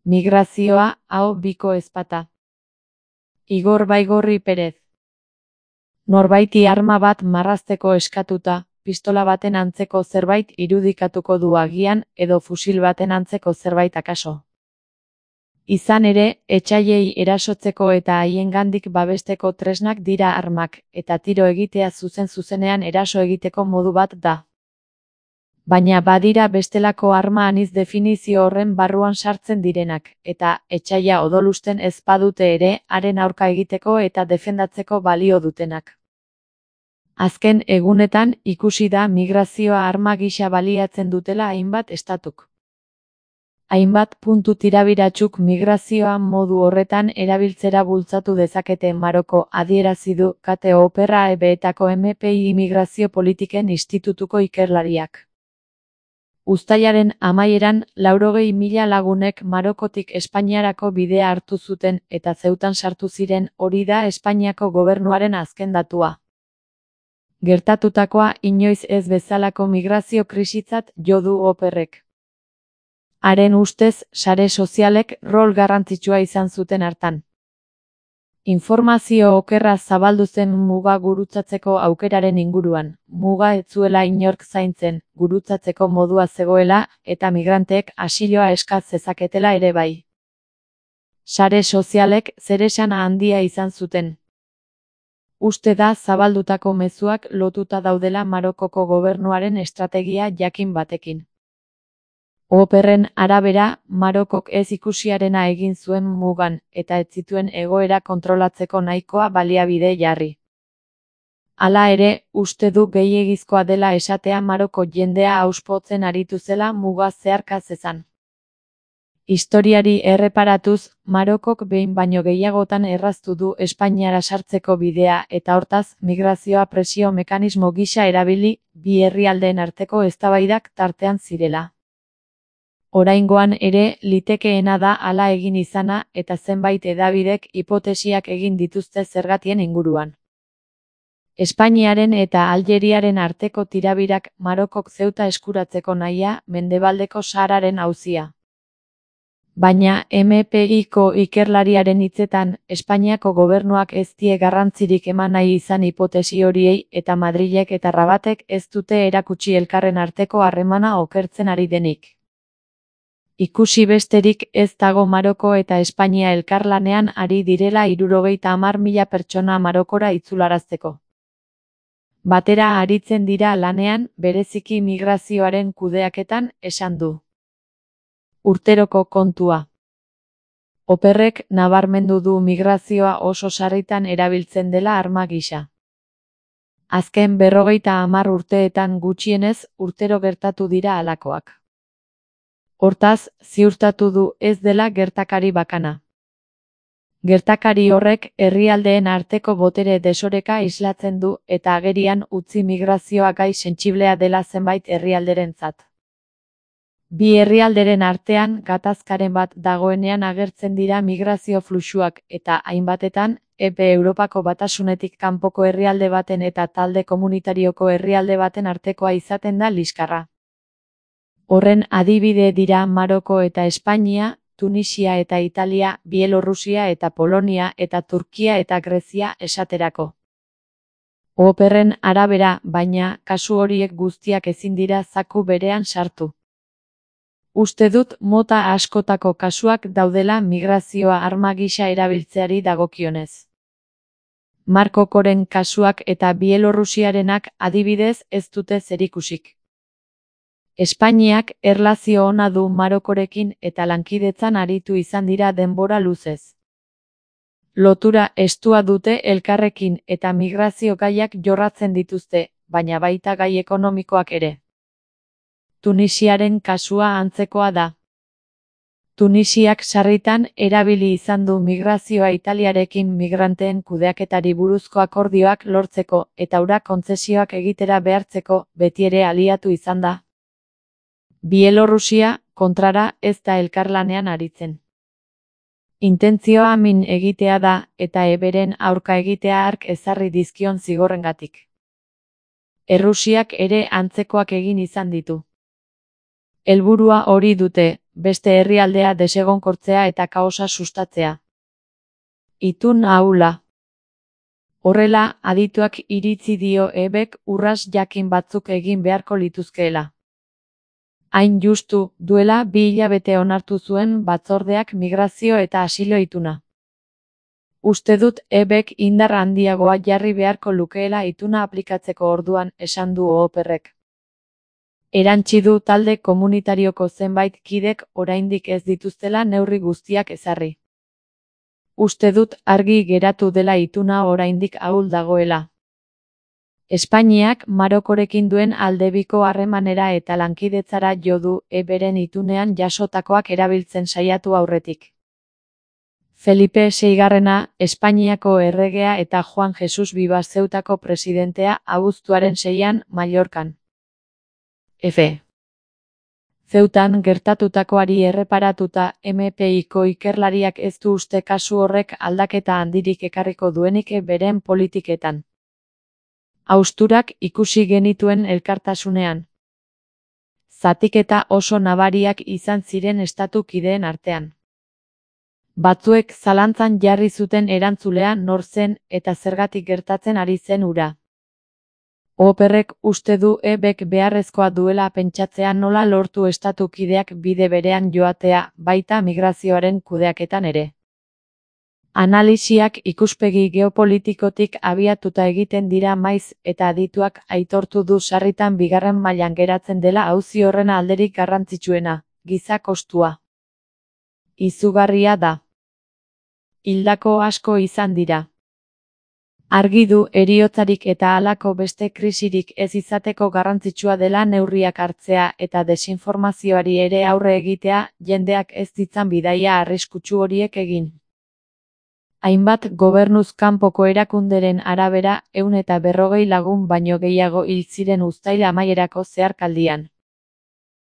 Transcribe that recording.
Migrazioa, aho biko ezpata. Igor Baigorri Perez. Norbaiti arma bat marrazteko eskatuta, pistola baten antzeko zerbait irudikatuko du agian edo fusil baten antzeko zerbait akaso. Izan ere, etsaiei erasotzeko eta haiengandik babesteko tresnak dira armak, eta tiro egitea zuzen-zuzenean eraso egiteko modu bat da. Baina badira bestelako arma anitz definizio horren barruan sartzen direnak, eta etsaia odolusten ez badute ere, haren aurka egiteko eta defendatzeko balio dutenak. Azken egunetan ikusi da migrazioa arma gisa baliatzen dutela hainbat estatuk. Hainbat puntu tirabiratsuk migrazioa modu horretan erabiltzera bultzatu dezakete Maroko, adierazi du Kate Opera EB-etako MPI Migrazio Politiken Institutuko ikerlariak. Uztailaren amaieran 80.000 lagunek Marokotik Espainiarako bidea hartu zuten eta Zeutan sartu ziren, hori da Espainiako gobernuaren azken datua. Gertatutakoa inoiz ez bezalako migrazio krisitzat jo du Operrek. Haren ustez, sare sozialek rol garrantzitsua izan zuten hartan. Informazio okerra zabaldu zen muga gurutzatzeko aukeraren inguruan, muga ez zuela inork zaintzen, gurutzatzeko modua zegoela, eta migranteek asiloa eska zezaketela ere bai. Sare sozialek zeresan handia izan zuten. Uste da zabaldutako mezuak lotuta daudela Marokoko gobernuaren estrategia jakin batekin. Operren arabera, Marokok ez ikusiarena egin zuen mugan, eta ez zituen egoera kontrolatzeko nahikoa baliabide jarri. Hala ere, uste du gehiegizkoa dela esatea Maroko jendea auspotzen aritu zela muga zeharka zezan. Historiari erreparatuz, Marokok behin baino gehiagotan erraztu du Espainiara sartzeko bidea eta hortaz, migrazioa presio mekanismo gisa erabili, bi herrialdeen arteko eztabaidak tartean zirela. Oraingoan ere, litekeena da hala egin izana eta zenbait hedabidek hipotesiak egin dituzte zergatien inguruan. Espainiaren eta Aljeriaren arteko tirabirak Marokok Zeuta eskuratzeko nahia, Mendebaldeko Sahararen auzia. Baina MPIko ikerlariaren hitzetan, Espainiako gobernuak ez die garrantzirik eman nahi izan hipotesi horiei eta Madrilek eta Rabatek ez dute erakutsi elkarren arteko harremana okertzen ari denik. Ikusi besterik ez dago Maroko eta Espainia elkarlanean ari direla 70.000 pertsona Marokora itzularazteko. Batera aritzen dira lanean, bereziki migrazioaren kudeaketan, esan du. Urteroko kontua. Operrek nabarmendu du migrazioa oso sarritan erabiltzen dela arma gisa. Azken 50 urteetan gutxienez, urtero gertatu dira halakoak. Hortaz, ziurtatu du ez dela gertakari bakana. Gertakari horrek herrialdeen arteko botere desoreka islatzen du eta agerian utzi migrazioa gai sentsiblea dela zenbait herrialderentzat. Bi herrialderen artean gatazkaren bat dagoenean agertzen dira migrazio fluxuak eta hainbatetan, Europako Batasunetik kanpoko herrialde baten eta talde komunitarioko herrialde baten artekoa izaten da liskarra. Horren adibide dira Maroko eta Espainia, Tunisia eta Italia, Bielorrusia eta Polonia eta Turkia eta Grezia esaterako. Operren arabera, baina, kasu horiek guztiak ezin dira zaku berean sartu. Uste dut mota askotako kasuak daudela migrazioa arma gisa erabiltzeari dagokionez. Markokoren kasuak eta Bielorrusiarenak adibidez ez dute zerikusik. Espainiak erlazio ona du Marokorekin eta lankidetzan aritu izan dira denbora luzez. Lotura estua dute elkarrekin eta migrazio gaiak jorratzen dituzte, baina baita gai ekonomikoak ere. Tunisiaren kasua antzekoa da. Tunisiak sarritan erabili izan du migrazioa Italiarekin migranteen kudeaketari buruzko akordioak lortzeko eta hura kontzesioak egitera behartzeko betiere aliatu izan da. Bielorrusia, kontrara, ez da elkarlanean aritzen. Intentzioa min egitea da eta eberen aurka egitea hark ezarri dizkion zigorrengatik. Errusiak ere antzekoak egin izan ditu. Helburua hori dute, beste herrialdea desegonkortzea eta kaosa sustatzea. Itun ahula. Horrela, adituak iritzi dio EBek urrats jakin batzuk egin beharko lituzkeela. Hain justu, duela 2 hilabete onartu zuen batzordeak migrazio eta asilo ituna. Uste dut EBek indar handiagoa jarri beharko lukeela ituna aplikatzeko orduan, esan du Ooperrek. Erantsi du talde komunitarioko zenbait kidek oraindik ez dituztela neurri guztiak ezarri. Uste dut argi geratu dela ituna oraindik ahul dagoela. Espainiak Marokorekin duen aldebiko harremanera eta lankidetzara jo du EBren itunean jasotakoak erabiltzen saiatu aurretik. Felipe VI, Espainiako erregea eta Juan Jesus Vivas Zeutako presidentea abuztuaren 6an Mallorcan. F. Zeutan gertatutakoari erreparatuta MPIko ikerlariak ez du uste kasu horrek aldaketa handirik ekarriko duenik beren politiketan. Hausturak ikusi genituen elkartasunean. Zatiketa oso nabariak izan ziren estatu kideen artean. Batzuek zalantzan jarri zuten erantzulea nor zen eta zergatik gertatzen ari zen hura. Ooperrek uste du EBek beharrezkoa duela pentsatzea nola lortu estatu kideak bide berean joatea, baita migrazioaren kudeaketan ere. Analisiak ikuspegi geopolitikotik abiatuta egiten dira maiz eta adituak aitortu du sarritan 2. mailan geratzen dela auzi horren alderik garrantzitsuena, giza kostua. Izugarria da. Hildako asko izan dira. Argi du heriotzarik eta halako beste krisirik ez izateko garrantzitsua dela neurriak hartzea eta desinformazioari ere aurre egitea, jendeak ez ditzan bidaia arriskutsu horiek egin. Hainbat gobernuz kanpoko erakunderen arabera 140 lagun baino gehiago hil ziren uztail amaierako zeharkaldian.